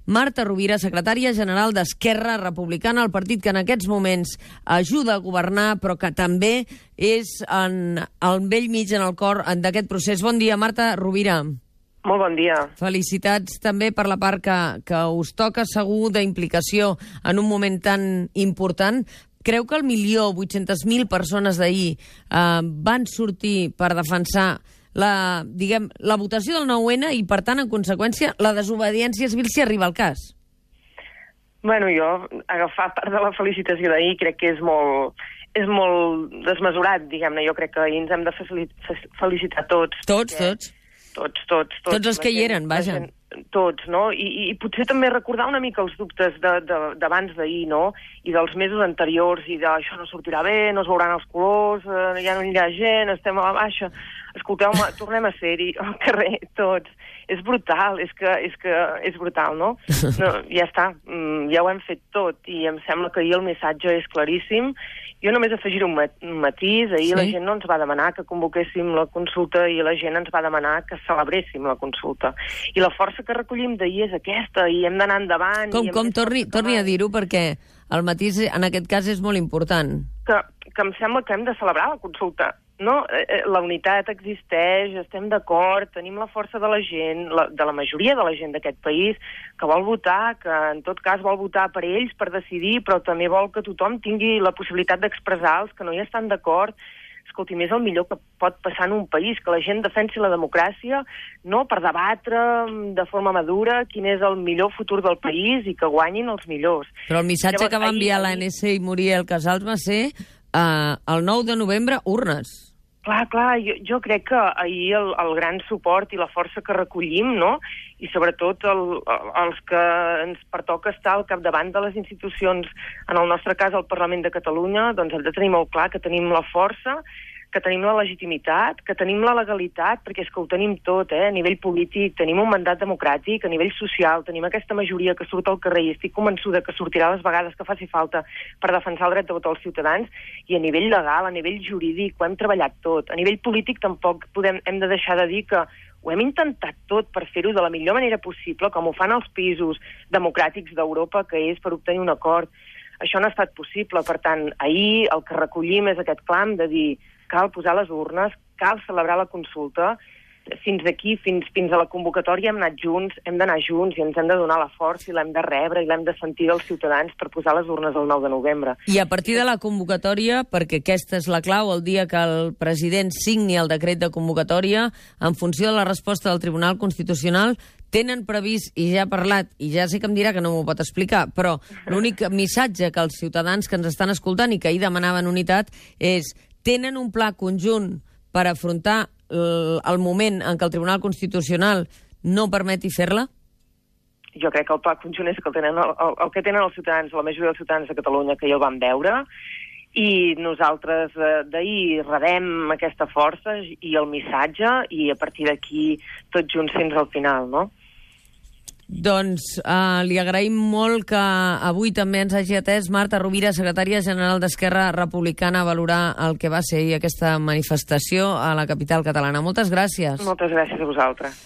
Marta Rovira, secretària general d'Esquerra Republicana, el partit que en aquests moments ajuda a governar, però que també és al bell mig, en el cor d'aquest procés. Bon dia, Marta Rovira. Molt bon dia. Felicitats també per la part que us toca segur d'implicació en un moment tan important. Creu que el 1.800.000 persones d'ahir van sortir per defensar la votació del 9-N i, per tant, en conseqüència, la desobediència civil si arriba al cas? Bueno, jo agafar part de la felicitació d'ahir crec que és molt desmesurat, diguem-ne. Jo crec que ahir ens hem de felicitar tots. Tots? Tots els que hi eren, vaja. Tots, no? I potser també recordar una mica els dubtes d'abans d'ahir, no? I dels mesos anteriors, i d'això no sortirà bé, no es veuran els colors, ja no hi ha gent, estem a la baixa. Escolteu-me, tornem a ser-hi al carrer, tots. És brutal, és que és brutal, no? Ja està, ja ho hem fet tot, i em sembla que ahir el missatge és claríssim. Jo només afegiré un matís. Ahir la gent no ens va demanar que convoquéssim la consulta i la gent ens va demanar que celebréssim la consulta. I la força que recollim d'ahir és aquesta, i hem d'anar endavant. Com? Torni a dir-ho, perquè el matís en aquest cas és molt important. Que em sembla que hem de celebrar la consulta. No, la unitat existeix, estem d'acord, tenim la força de la gent, de la majoria de la gent d'aquest país, que vol votar, que en tot cas vol votar per ells, per decidir, però també vol que tothom tingui la possibilitat d'expressar els que no hi estan d'acord. Escolti, és el millor que pot passar en un país, que la gent defensi la democràcia, no per debatre de forma madura quin és el millor futur del país i que guanyin els millors. Però el missatge que va enviar l'ANC i Muriel Casals va ser el 9 de novembre, urnes. Clar, jo crec que ahir el gran suport i la força que recollim, no?, i sobretot els que ens pertoca estar al capdavant de les institucions, en el nostre cas el Parlament de Catalunya, doncs hem de tenir molt clar que tenim la força, que tenim la legitimitat, que tenim la legalitat, perquè és que ho tenim tot, a nivell polític, tenim un mandat democràtic, a nivell social, tenim aquesta majoria que surt al carrer i estic convençuda que sortirà les vegades que faci falta per defensar el dret de votar als ciutadans, i a nivell legal, a nivell jurídic, ho hem treballat tot. A nivell polític tampoc hem de deixar de dir que ho hem intentat tot per fer-ho de la millor manera possible, com ho fan els països democràtics d'Europa, que és per obtenir un acord. Això no ha estat possible, per tant, ahir el que recollim és aquest clam de dir cal posar les urnes, cal celebrar la consulta. Fins aquí, fins a la convocatòria hem anat junts, hem d'anar junts i ens hem de donar la força i l'hem de rebre i l'hem de sentir dels ciutadans per posar les urnes el 9 de novembre. I a partir de la convocatòria, perquè aquesta és la clau, el dia que el president signi el decret de convocatòria, en funció de la resposta del Tribunal Constitucional, tenen previst, i ja ha parlat, i ja sé que em dirà que no m'ho pot explicar, però l'únic missatge que els ciutadans que ens estan escoltant i que ahir demanaven unitat és: tenen un pla conjunt per afrontar el moment en què el Tribunal Constitucional no permeti fer-la? Jo crec que el pla conjunt és el que tenen els ciutadans, la majoria dels ciutadans de Catalunya, que ja el van veure, i nosaltres d'ahir rebem aquesta força i el missatge, i a partir d'aquí tots junts fins al final, no? Doncs li agraïm molt que avui també ens hagi atès Marta Rovira, secretària general d'Esquerra Republicana, a valorar el que va ser aquesta manifestació a la capital catalana. Moltes gràcies. Moltes gràcies a vosaltres.